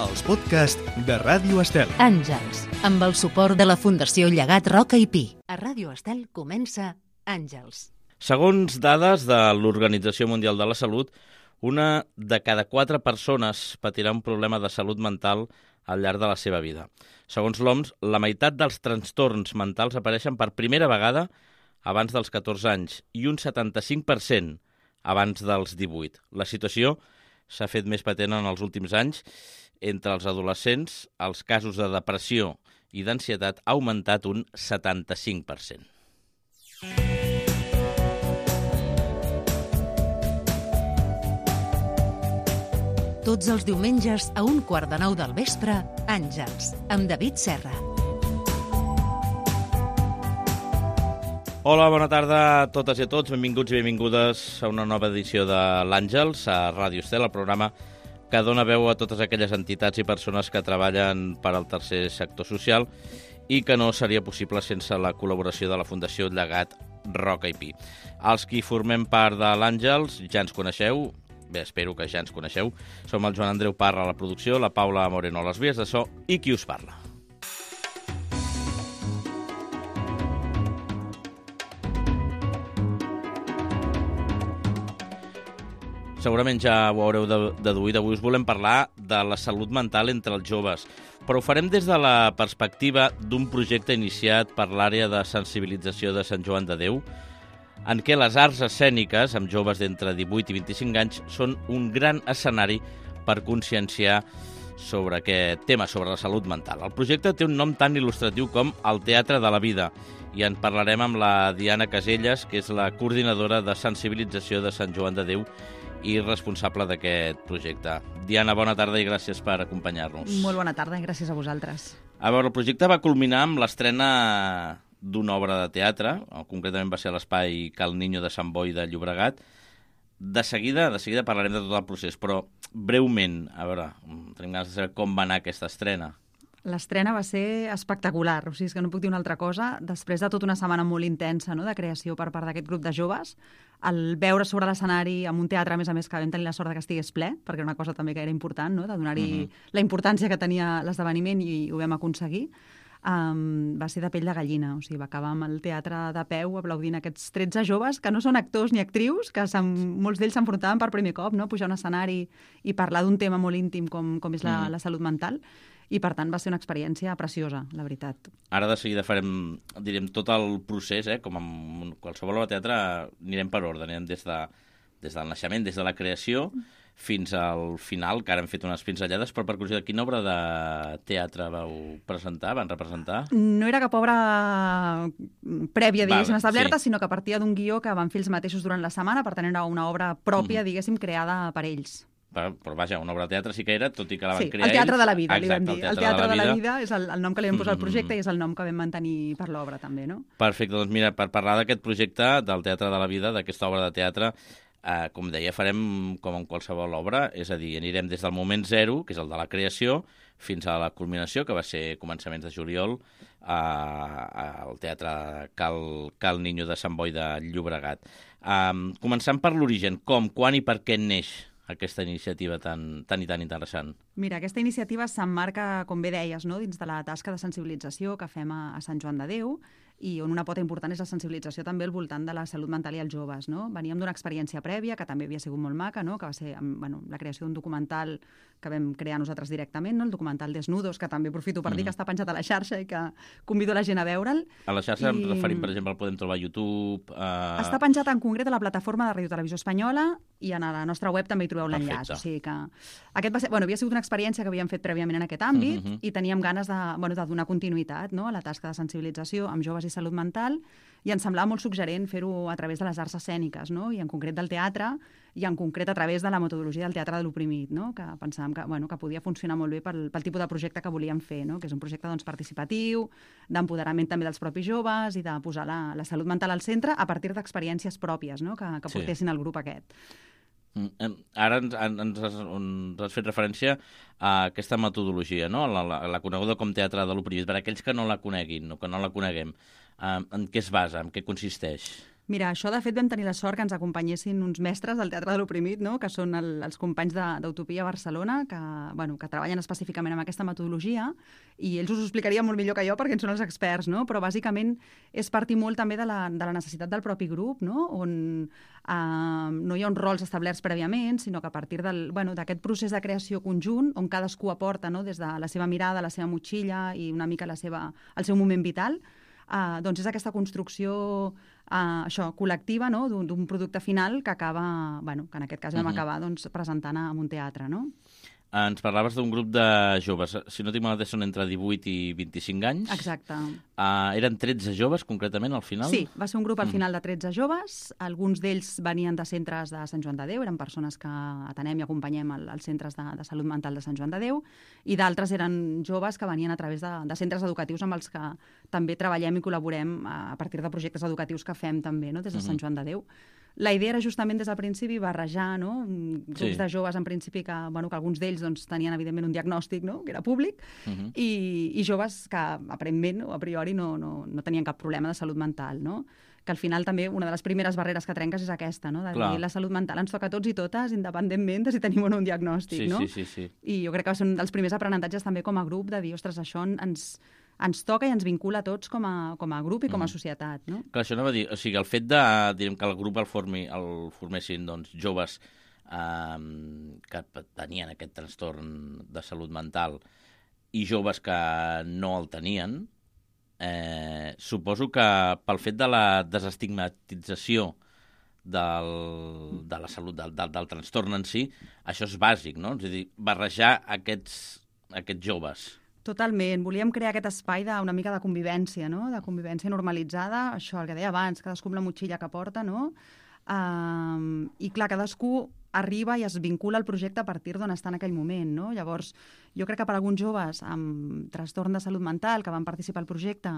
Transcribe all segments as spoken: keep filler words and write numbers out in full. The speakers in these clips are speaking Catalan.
els podcasts de Ràdio Estel. Àngels, amb el suport de la Fundació Llegat Roca i Pi. A Ràdio Estel comença Àngels. Segons dades de l'Organització Mundial de la Salut, una de cada quatre persones patirà un problema de salut mental al llarg de la seva vida. Segons l'O M S, la meitat dels trastorns mentals apareixen per primera vegada abans dels catorze anys i un setanta-cinc per cent abans dels divuit. La situació s'ha fet més patent en els últims anys. Entre els adolescents, els casos de depressió i d'ansietat ha augmentat un setanta-cinc per cent. Tots els diumenges a un quart de nou del vespre, Àngels, amb David Serra. Hola, bona tarda a totes i a tots. Benvinguts i benvingudes a una nova edició de l'Àngels, a Ràdio Estel, el programa que dona veu a totes aquelles entitats i persones que treballen per al tercer sector social i que no seria possible sense la col·laboració de la Fundació Llegat Roca i Pi. Els qui formem part de l'Àngels ja ens coneixeu, bé, espero que ja ens coneixeu. Som el Joan Andreu Parra a la producció, la Paula Moreno a les vies de so i qui us parla. Segurament ja ho haureu deduït, avui us volem parlar de la salut mental entre els joves, però ho farem des de la perspectiva d'un projecte iniciat per l'àrea de sensibilització de Sant Joan de Déu, en què les arts escèniques amb joves d'entre divuit i vint-i-cinc anys són un gran escenari per conscienciar sobre aquest tema, sobre la salut mental. El projecte té un nom tan il·lustratiu com el Teatre de la Vida i en parlarem amb la Diana Caselles, que és la coordinadora de sensibilització de Sant Joan de Déu i responsable d'aquest projecte. Diana, bona tarda i gràcies per acompanyar-nos. Molt bona tarda i gràcies a vosaltres. A veure, el projecte va culminar amb l'estrena d'una obra de teatre, concretament va ser a l'Espai Cal Niño de Sant Boi de Llobregat. De seguida, de seguida parlarem de tot el procés, però breument, a veure, tenim ganes de saber com va anar aquesta estrena. L'estrena va ser espectacular, o sigui, és que no puc dir una altra cosa. Després de tota una setmana molt intensa, no?, de creació per part d'aquest grup de joves, el veure sobre l'escenari amb un teatre, a més a més, que vam tenir la sort que estigués ple, perquè era una cosa també que era important, no?, de donar-hi uh -huh. la importància que tenia l'esdeveniment i ho vam aconseguir, um, va ser de pell de gallina. O sigui, va acabar amb el teatre de peu aplaudint aquests tretze joves que no són actors ni actrius, que molts d'ells s'enfrontaven per primer cop, no?, pujar a un escenari i parlar d'un tema molt íntim com, com és la, uh -huh. la salut mental. I, per tant, va ser una experiència preciosa, la veritat. Ara de seguida farem, direm, tot el procés, eh? Com en qualsevol obra de teatre, anirem per ordre, anirem des, de, des del naixement, des de la creació, fins al final, que ara hem fet unes pinzellades, però per curiositat, quina obra de teatre vau presentar, van representar? No era cap obra prèvia, diguéssim, vale, establerta, sí. sinó que partia d'un guió que van fer ells mateixos durant la setmana, per tant era una obra pròpia, mm. diguéssim, creada per ells. Però, però vaja, una obra de teatre sí que era, tot i que la van sí, crear el Teatre ells. de la Vida, Exacte, li vam dir. El Teatre, el teatre de, la de la Vida és el, el nom que li vam posar al projecte mm. i és el nom que vam mantenir per l'obra, també, no? Perfecte, doncs mira, per parlar d'aquest projecte del Teatre de la Vida, d'aquesta obra de teatre, eh, com deia, farem com en qualsevol obra, és a dir, anirem des del moment zero, que és el de la creació, fins a la culminació, que va ser començaments de juliol, al Teatre Cal, Cal Niño de Sant Boi de Llobregat. Um, començant per l'origen, com, quan i per què neix aquesta iniciativa tan, tan i tan interessant? Mira, aquesta iniciativa s'emmarca, com bé deies, no?, dins de la tasca de sensibilització que fem a, a Sant Joan de Déu, i on una pota important és la sensibilització també al voltant de la salut mental i els joves, no? Veníem d'una experiència prèvia, que també havia sigut molt maca, no?, que va ser bueno, la creació d'un documental que vam crear nosaltres directament, no?, el documental Desnudos, que també aprofito per mm. dir que està penjat a la xarxa i que convido la gent a veure'l. A la xarxa I... em referim, per exemple, el podem trobar a YouTube... Uh... Està penjat en concret a la plataforma de Ràdio Televisió Espanyola i a la nostra web també hi trobeu l'enllaç. O sigui que aquest va ser, bueno, havia sigut una experiència que havíem fet prèviament en aquest àmbit mm -hmm. i teníem ganes de, bueno, de donar continuïtat, no?, a la tasca de sensibilització amb joves i salut mental, i ens semblava molt suggerent fer-ho a través de les arts escèniques, no?, i en concret del teatre, i en concret a través de la metodologia del teatre de l'oprimit, no?, que pensàvem que, bueno, que podia funcionar molt bé pel, pel tipus de projecte que volíem fer, no?, que és un projecte doncs, participatiu, d'empoderament també dels propis joves i de posar la, la salut mental al centre a partir d'experiències pròpies, no?, que, que portessin sí. el grup aquest. Ara ens, ens, has, ens has fet referència a aquesta metodologia, no?, la, la, la coneguda com teatre de l'oprimit. Per a aquells que no la coneguin o que no la coneguem, eh, en què es basa, en què consisteix? Mira, això de fet vam tenir la sort que ens acompanyessin uns mestres del Teatre de l'Oprimit, no? Que són el, els companys d'Utopia Barcelona, que, bueno, que treballen específicament amb aquesta metodologia, i ells us ho explicarien molt millor que jo perquè en són els experts, no? Però bàsicament és partir molt també de la, de la necessitat del propi grup, no? On eh, no hi ha uns rols establerts prèviament, sinó que a partir del, bueno, d'aquest procés de creació conjunt, on cadascú aporta, no? Des de la seva mirada, la seva motxilla i una mica la seva, el seu moment vital, eh, doncs és aquesta construcció Uh, això, col·lectiva, no? d'un producte final que acaba, bueno, que en aquest cas vam uh-huh. acabar doncs, presentant en un teatre, no? Ens parlaves d'un grup de joves, si no tinc malament són entre divuit i vint-i-cinc anys. Exacte. Uh, eren tretze joves, concretament, al final? Sí, va ser un grup al final de tretze joves. Alguns d'ells venien de centres de Sant Joan de Déu, eren persones que atenem i acompanyem als centres de, de salut mental de Sant Joan de Déu, i d'altres eren joves que venien a través de, de centres educatius amb els que també treballem i col·laborem a partir de projectes educatius que fem també, no? Des de Sant Joan de Déu. La idea era justament des del principi barrejar, no? Grups sí. de joves en principi que, bueno, que alguns d'ells doncs, tenien evidentment un diagnòstic, no? Que era públic, uh-huh. i, i joves que aparentment o a priori no, no, no tenien cap problema de salut mental, no? Que al final també una de les primeres barreres que trenques és aquesta, no? De Clar. dir la salut mental ens toca a tots i totes, independentment de si tenim o no un diagnòstic, sí, no? Sí, sí, sí. I jo crec que va ser un dels primers aprenentatges també com a grup de dir, ostres, això ens... ens toca i ens vincula a tots com a, com a grup i com a societat, no? Clar, això anava a dir, o sigui, el fet de, direm, que el grup el, formi, el formessin doncs, joves eh, que tenien aquest trastorn de salut mental i joves que no el tenien, eh, suposo que pel fet de la desestigmatització del, de la salut, del, del, del trastorn en si, això és bàsic, no? És a dir, barrejar aquests, aquests joves. Totalment. Volíem crear aquest espai d'una mica de convivència, no? De convivència normalitzada, això, el que deia abans, cadascú amb la motxilla que porta, no? Um, I clar, cadascú arriba i es vincula al projecte a partir d'on està en aquell moment, no? Llavors, jo crec que per alguns joves amb trastorn de salut mental que van participar al projecte,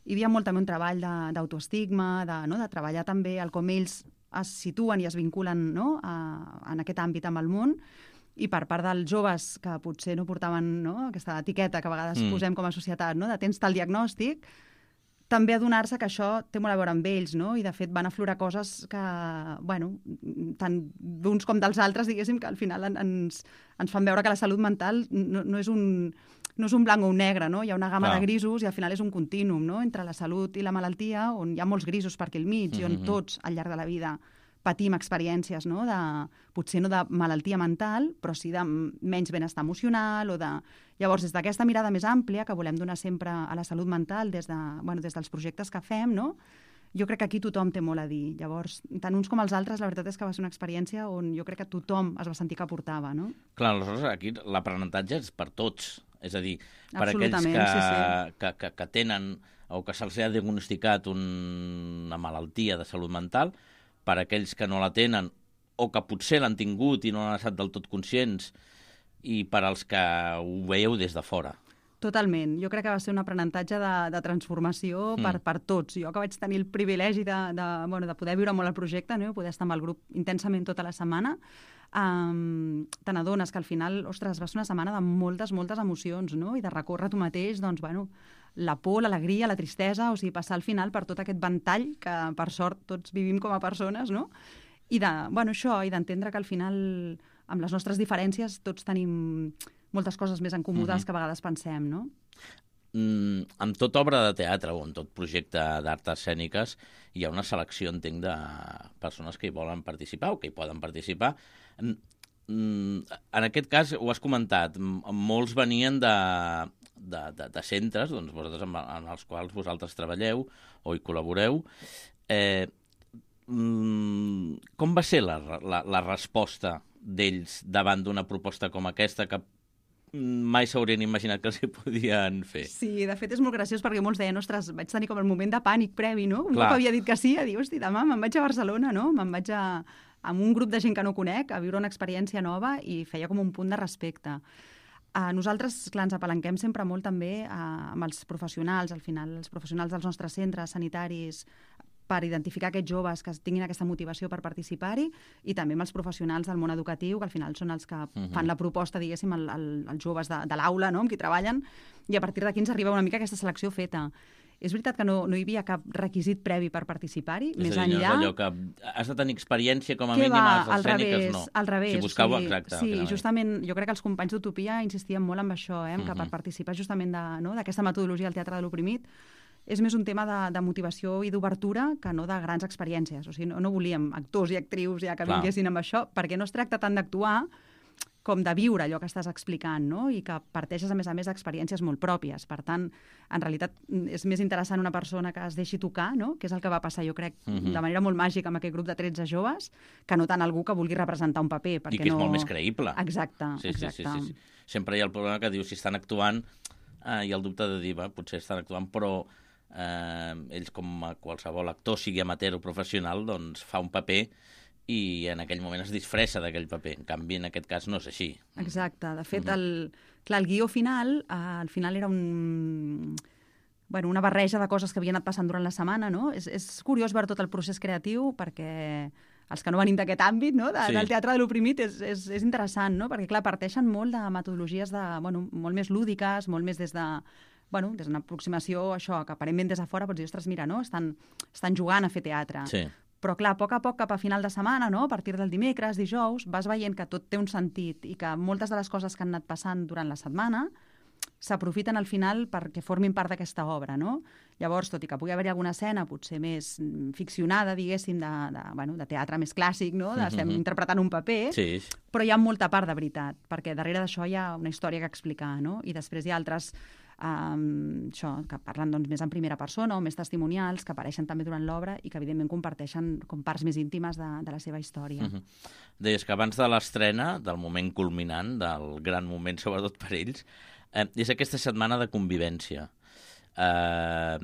hi havia molt també un treball d'autoestigma, de, no? de treballar també el com ells es situen i es vinculen, no? a, en aquest àmbit amb el món, i per part dels joves que potser no portaven, no? aquesta etiqueta que a vegades mm. posem com a societat, no? de tens tal diagnòstic, també adonar-se que això té molt a veure amb ells, no? I de fet van aflorar coses que, bueno, tant d'uns com dels altres, diguéssim, que al final ens, ens fan veure que la salut mental no, no, és un, no és un blanc o un negre, no? Hi ha una gamma Clar. de grisos i al final és un contínum, no? Entre la salut i la malaltia, on hi ha molts grisos per aquí al mig mm-hmm. i on tots, al llarg de la vida, patim experiències, no? de, potser no de malaltia mental, però sí de menys benestar emocional. O de... Llavors, des d'aquesta mirada més àmplia que volem donar sempre a la salut mental des, de, bueno, des dels projectes que fem, no? Jo crec que aquí tothom té molt a dir. Llavors, tant uns com els altres, la veritat és que va ser una experiència on jo crec que tothom es va sentir que aportava, no? Clar, aleshores aquí l'aprenentatge és per tots. És a dir, per aquells que, sí, sí. que, que, que tenen o que se'ls ha diagnosticat un, una malaltia de salut mental, per aquells que no la tenen o que potser l'han tingut i no han estat del tot conscients, i per als que ho veieu des de fora. Totalment. Jo crec que va ser un aprenentatge de, de transformació mm. per, per tots. Jo que vaig tenir el privilegi de, de, bueno, de poder viure molt el projecte, no? Poder estar amb el grup intensament tota la setmana, um, te n'adones que al final, ostres, va ser una setmana de moltes, moltes emocions, no? I de recórrer tu mateix, doncs, bueno, la por, l'alegria, la tristesa, o sigui, passar al final per tot aquest ventall que, per sort, tots vivim com a persones, no? I de, bueno, això, i d'entendre que al final, amb les nostres diferències, tots tenim moltes coses més en comú mm-hmm. que a vegades pensem, no? Mm, amb tota obra de teatre o en tot projecte d'arts escèniques hi ha una selecció, entenc, de persones que hi volen participar o que hi poden participar. Mm, en aquest cas, ho has comentat, molts venien de... De, de, de centres, doncs vosaltres amb, amb els quals vosaltres treballeu o hi col·laboreu. Eh, mm, com va ser la, la, la resposta d'ells davant d'una proposta com aquesta que mai s'haurien imaginat que els hi podien fer? Sí, de fet és molt graciós perquè molts deien, ostres, vaig tenir com el moment de pànic previ, no? Un Clar. cop havia dit que sí, a dir, hosti, demà me'n vaig a Barcelona, no? Me'n vaig a, amb un grup de gent que no conec a viure una experiència nova i feia com un punt de respecte. A nosaltres, clar, ens apalanquem sempre molt també a, amb els professionals, al final, els professionals dels nostres centres sanitaris, per identificar aquests joves que tinguin aquesta motivació per participar-hi, i també amb els professionals del món educatiu, que al final són els que uh-huh. fan la proposta, diguéssim, al, al, als joves de, de l'aula, no?, amb qui treballen, i a partir d'aquí ens arriba una mica aquesta selecció feta. És veritat que no, no hi havia cap requisit previ per participar-hi, més dir, enllà... És allò que has de tenir experiència com a Què mínim va, a les al escèniques, revés, no. al revés. Si buscau, sí, exacte. Sí, justament, jo crec que els companys d'Utopia insistien molt en això, eh, que per participar justament d'aquesta metodologia al Teatre de l'Oprimit és més un tema de, de motivació i d'obertura que no de grans experiències. O sigui, no, no volíem actors i actrius ja que Clar. vinguessin amb això, perquè no es tracta tant d'actuar com de viure allò que estàs explicant, no? I que parteixes, a més a més, d'experiències molt pròpies. Per tant, en realitat, és més interessant una persona que es deixi tocar, no? Que és el que va passar, jo crec, Uh-huh. de manera molt màgica amb aquest grup de tretze joves, que no tant algú que vulgui representar un paper. I que és no... molt més creïble. Exacte, Sí, sí, exacte. sí, sí, sí. Sempre hi ha el problema que diu, si estan actuant, eh, hi ha el dubte de dir, va, potser estan actuant, però eh, ells, com a qualsevol actor, sigui amateur o professional, doncs fa un paper i en aquell moment es disfressa d'aquell paper. En canvi, en aquest cas no és així. Exacte. De fet, el, clar, el guió final, eh, al final era un... Bueno, una barreja de coses que havien anat passant durant la setmana, no? És, és curiós veure tot el procés creatiu perquè els que no venim d'aquest àmbit, no? De, Sí. del teatre de l'oprimit, és, és, és interessant, no? Perquè, clar, parteixen molt de metodologies de, bueno, molt més lúdiques, molt més des de bueno, des d'una aproximació, això, que aparentment des de fora pots dir, ostres, mira, no? Estan, estan jugant a fer teatre. Sí. Però, clar, a poc a poc, cap a final de setmana, no? A partir del dimecres, dijous, vas veient que tot té un sentit i que moltes de les coses que han anat passant durant la setmana s'aprofiten al final perquè formin part d'aquesta obra, no? Llavors, tot i que pugui haver-hi alguna escena potser més ficcionada, diguéssim, de, de, bueno, de teatre més clàssic, no? De, estem Mhm. interpretant un paper, Sí. però hi ha molta part de veritat, perquè darrere d'això hi ha una història que explicar, no? I després hi ha altres um, això, que parlen doncs, més en primera persona o més testimonials, que apareixen també durant l'obra i que evidentment comparteixen com parts més íntimes de, de la seva història. Uh -huh. Deies que abans de l'estrena, del moment culminant, del gran moment sobretot per ells, eh, és aquesta setmana de convivència. Eh,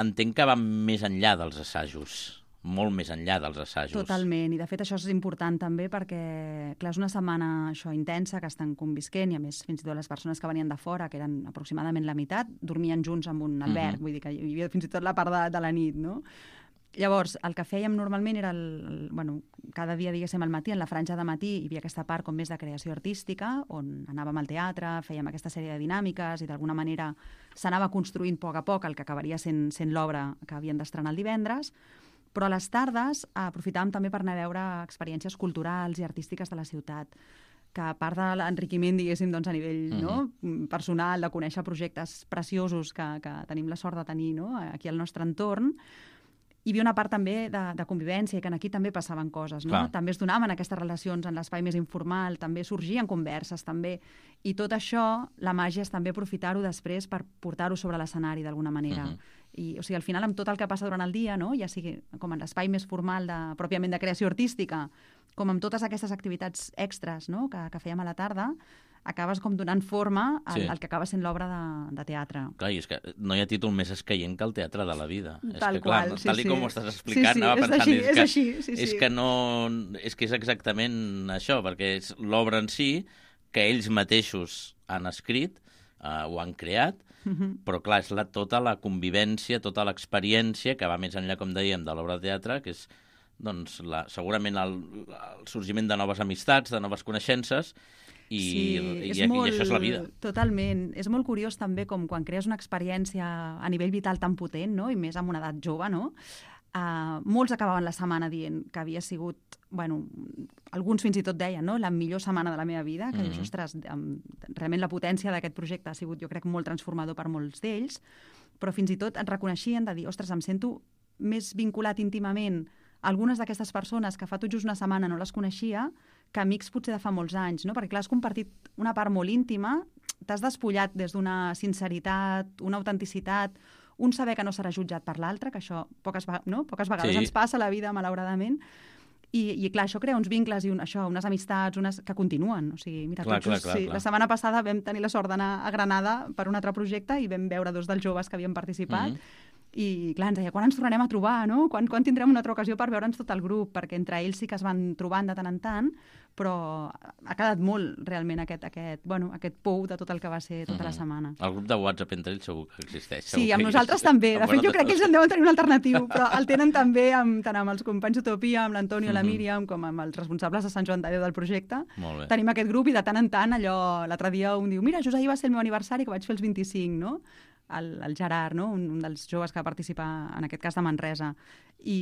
entenc que va més enllà dels assajos, molt més enllà dels assajos. Totalment, i de fet això és important també perquè, clar, és una setmana això intensa que estan convisquent i a més fins i tot les persones que venien de fora, que eren aproximadament la meitat, dormien junts en un alberg, Mhm. vull dir que hi havia fins i tot la part de, de la nit, no? Llavors, el que fèiem normalment era, el, el, bueno, cada dia, diguéssim, al matí, en la franja de matí, hi havia aquesta part com més de creació artística, on anàvem al teatre, fèiem aquesta sèrie de dinàmiques i d'alguna manera s'anava construint a poc a poc el que acabaria sent, sent l'obra que havien d'estrenar el divendres, però a les tardes aprofitàvem també per anar a veure experiències culturals i artístiques de la ciutat, que a part de l'enriquiment, diguéssim, doncs, a nivell Mhm. no, personal, de conèixer projectes preciosos que, que tenim la sort de tenir no, aquí al nostre entorn, hi havia una part també de, de convivència i que aquí també passaven coses, no? Clar. També es donaven aquestes relacions en l'espai més informal, també sorgien converses, també. I tot això, la màgia és també aprofitar-ho després per portar-ho sobre l'escenari d'alguna manera. Mhm. I, o sigui, al final, amb tot el que passa durant el dia, no? Ja sigui com en l'espai més formal de, pròpiament de creació artística, com amb totes aquestes activitats extres no? que, que fèiem a la tarda, acabes com donant forma al, Sí. al que acaba sent l'obra de, de teatre. Clar, i és que no hi ha títol més escaient que el teatre de la vida. Tal és que, clar, qual, sí, tal i sí. com ho estàs explicant, Sí, sí, anava és pensant... així, és, és que, així, sí, és sí. que no... És que és exactament això, perquè és l'obra en si que ells mateixos han escrit eh, o han creat, Mhm. però clar, és la, tota la convivència, tota l'experiència que va més enllà, com dèiem, de l'obra de teatre, que és doncs, la, segurament el, el sorgiment de noves amistats, de noves coneixences, i, sí, i, és i, molt, i això és la vida. Totalment. És molt curiós també com quan crees una experiència a nivell vital tan potent, no? I més amb una edat jove, no? Uh, molts acabaven la setmana dient que havia sigut, bueno, alguns fins i tot deien, no? La millor setmana de la meva vida, que mm -hmm. dius, ostres, um, realment la potència d'aquest projecte ha sigut, jo crec, molt transformador per molts d'ells, però fins i tot et reconeixien de dir, ostres, em sento més vinculat íntimament a algunes d'aquestes persones que fa tot just una setmana no les coneixia, que amics potser de fa molts anys, no? Perquè clar, has compartit una part molt íntima, t'has despullat des d'una sinceritat, una autenticitat, un saber que no serà jutjat per l'altre, que això poques, no? poques vegades Sí. ens passa a la vida, malauradament, i, i clar, això crea uns vincles i un, això, unes amistats unes que continuen. O sigui, mira, Clar, tot just, clar, clar, sí, clar. la setmana passada vam tenir la sort d'anar a Granada per un altre projecte i vam veure dos dels joves que havien participat, Mhm. i clar, ens deia, quan ens tornarem a trobar, no? Quan, quan tindrem una altra ocasió per veure'ns tot el grup? Perquè entre ells sí que es van trobant de tant en tant, però ha quedat molt realment aquest, aquest, bueno, aquest pou de tot el que va ser tota la setmana. El grup de WhatsApp entre ells segur que existeix. Sí, segur amb que nosaltres és- també. De amb fet, jo crec que ells vosaltres. en deuen tenir un alternatiu, però el tenen també amb, tant amb els companys d'Utopia, amb l'Antonio, la Mhm. Míriam, com amb els responsables de Sant Joan de Déu del projecte. Molt bé. Tenim aquest grup i de tant en tant allò, l'altre dia un diu, mira, just ahir va ser el meu aniversari que vaig fer els vint-i-cinc, no? el, el Gerard, no? un, un dels joves que participa, en aquest cas de Manresa. I,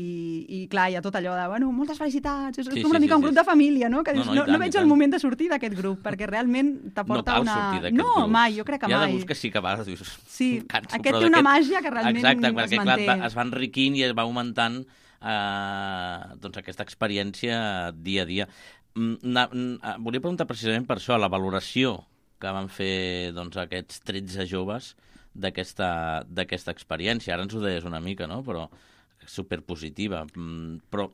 i clar, hi ha tot allò de, bueno, moltes felicitats, és sí, com una sí, mica sí, un grup sí. de família, no? Que dius, no, no, no, tant, no veig el moment de sortir d'aquest grup, perquè realment t'aporta no una... sortir d'aquest no, grup. mai, jo crec que Hi ha mai. de grups que sí que va, dius... Sí, canso, aquest té una màgia que realment exacte, es perquè, manté. Clar, es va enriquint i es va augmentant eh, doncs aquesta experiència dia a dia. Na, na, volia preguntar precisament per això, la valoració que van fer doncs, aquests tretze joves d'aquesta d'aquesta experiència. Ara ens ho deies una mica, no? Però superpositiva. Però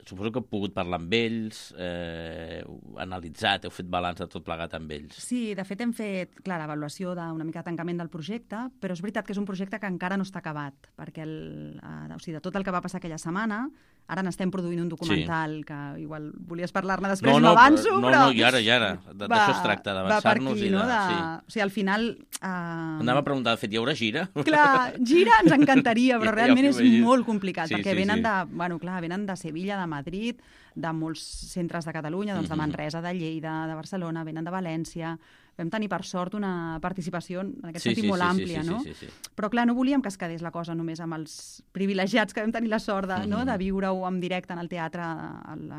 suposo que heu pogut parlar amb ells, eh, analitzat, heu fet balanç de tot plegat amb ells. Sí, de fet hem fet, clar, l'avaluació d'una mica de tancament del projecte, però és veritat que és un projecte que encara no està acabat, perquè el, eh, o sigui, de tot el que va passar aquella setmana, ara n'estem produint un documental sí. que igual volies parlar-ne després, no, no, m'avanço, no, però... No, i ara, i ara. D'això es tracta, d'avançar-nos i de... No? de... Sí. O sigui, al final... Eh... Anava a preguntar, de fet, hi haurà gira? Clar, gira ens encantaria, però ja, realment ja és molt complicat, sí, perquè sí, venen sí. de, bueno, clar, venen de Sevilla, de Madrid, de molts centres de Catalunya, doncs de Manresa, de Lleida, de Barcelona, venen de València. Vam tenir, per sort, una participació en aquest sí, sentit sí, molt sí, àmplia, sí, no? Sí, sí, sí. Però, clar, no volíem que es quedés la cosa només amb els privilegiats que vam tenir la sort de, mm-hmm. no? de viure-ho en directe en el teatre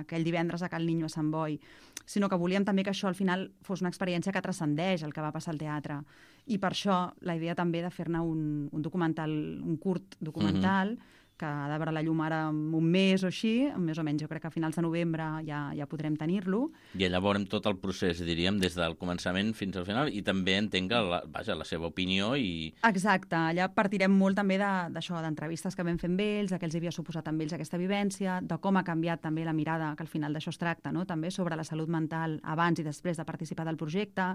aquell divendres a Cal Niño a Sant Boi, sinó que volíem també que això al final fos una experiència que transcendeix el que va passar al teatre. I per això la idea també de fer-ne un, un documental, un curt documental, mm-hmm. que ha de veure la llum ara en un mes o així, més o menys jo crec que a finals de novembre ja, ja podrem tenir-lo. I allà veurem tot el procés, diríem, des del començament fins al final, i també entenc la, vaja, la seva opinió i... Exacte, allà partirem molt també d'això, de, d'entrevistes que vam fer amb ells, de què els havia suposat amb ells aquesta vivència, de com ha canviat també la mirada, que al final d'això es tracta, no? També sobre la salut mental abans i després de participar del projecte.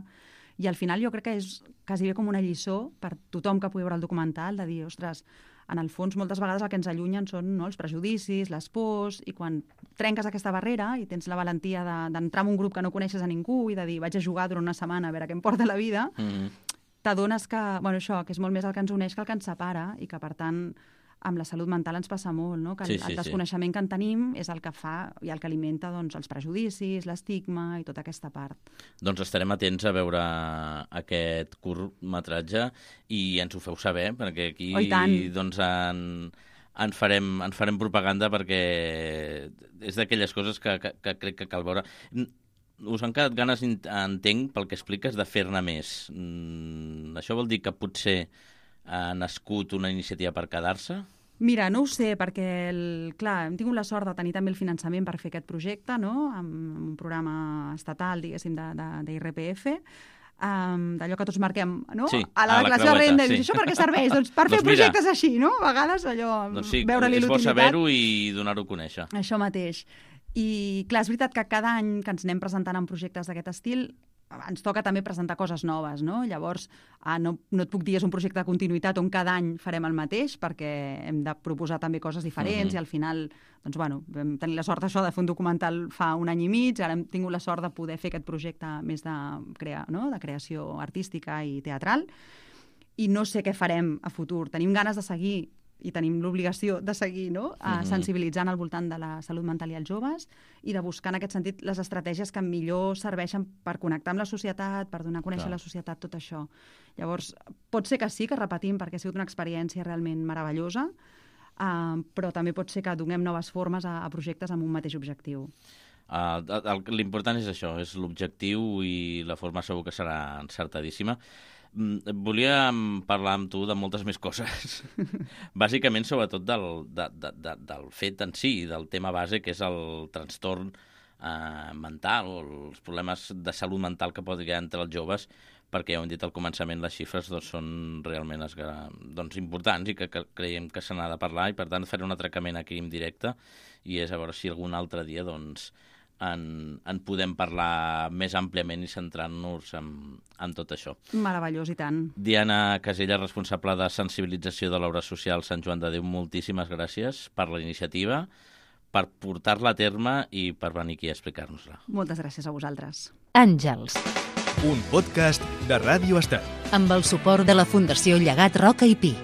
I al final jo crec que és quasi bé com una lliçó per tothom que pugui veure el documental, de dir, ostres, en el fons, moltes vegades el que ens allunyen són no, els prejudicis, les pors, i quan trenques aquesta barrera i tens la valentia d'entrar de, en un grup que no coneixes a ningú i de dir vaig a jugar durant una setmana a veure què em porta la vida, mm-hmm. t'adones que, bueno, això, que és molt més el que ens uneix que el que ens separa i que, per tant, amb la salut mental ens passa molt, no? Que el, sí, sí, el desconeixement sí. que en tenim és el que fa i el que alimenta doncs, els prejudicis, l'estigma i tota aquesta part. Doncs estarem atents a veure aquest curtmetratge i ens ho feu saber, perquè aquí doncs, en, en, farem, en farem propaganda perquè és d'aquelles coses que, que, que crec que cal veure. Us han quedat ganes, entenc, pel que expliques, de fer-ne més. Mm, això vol dir que potser ha nascut una iniciativa per quedar-se? Mira, no ho sé, perquè, el, clar, hem tingut la sort de tenir també el finançament per fer aquest projecte, no?, amb un programa estatal, diguéssim, d'I R P F, um, d'allò que tots marquem, no?, sí, a la a declaració de renda. Sí. I això per què serveix? Doncs per fer doncs mira, projectes així, no?, a vegades allò, doncs sí, veure-li l'utilitat. És bo saber-ho i donar-ho a conèixer. Això mateix. I, clar, és veritat que cada any que ens anem presentant en projectes d'aquest estil ens toca també presentar coses noves, no? Llavors, ah, no, no et puc dir és un projecte de continuïtat on cada any farem el mateix, perquè hem de proposar també coses diferents, uh-huh. i al final, doncs, bueno, vam tenir la sort això de fer un documental fa un any i mig, ara hem tingut la sort de poder fer aquest projecte més de, crea, no? de creació artística i teatral, i no sé què farem a futur. Tenim ganes de seguir i tenim l'obligació de seguir, no?, uh, sensibilitzant al voltant de la salut mental i els joves i de buscar en aquest sentit les estratègies que millor serveixen per connectar amb la societat, per donar a conèixer Clar. la societat, tot això. Llavors, pot ser que sí, que repetim, perquè ha sigut una experiència realment meravellosa, uh, però també pot ser que donem noves formes a, a projectes amb un mateix objectiu. Uh, L'important és això, és l'objectiu i la forma segur que serà encertadíssima. Volia parlar amb tu de moltes més coses. Bàsicament, sobretot, del, de, de, de, del fet en si, del tema base, que és el trastorn eh, mental o els problemes de salut mental que pot haver entre els joves, perquè ja ho hem dit al començament, les xifres doncs, són realment doncs, importants i que, que creiem que se n'ha de parlar, i per tant faré un atracament aquí en directe, i és a veure si algun altre dia doncs, En, en podem parlar més àmpliament i centrant-nos en, en tot això. Meravellós, i tant. Diana Casella, responsable de sensibilització de l'obra social Sant Joan de Déu, moltíssimes gràcies per la iniciativa, per portar-la a terme i per venir aquí a explicar-nos-la. Moltes gràcies a vosaltres. Àngels. Un podcast de Ràdio Estel. Amb el suport de la Fundació Llegat Roca i Pi.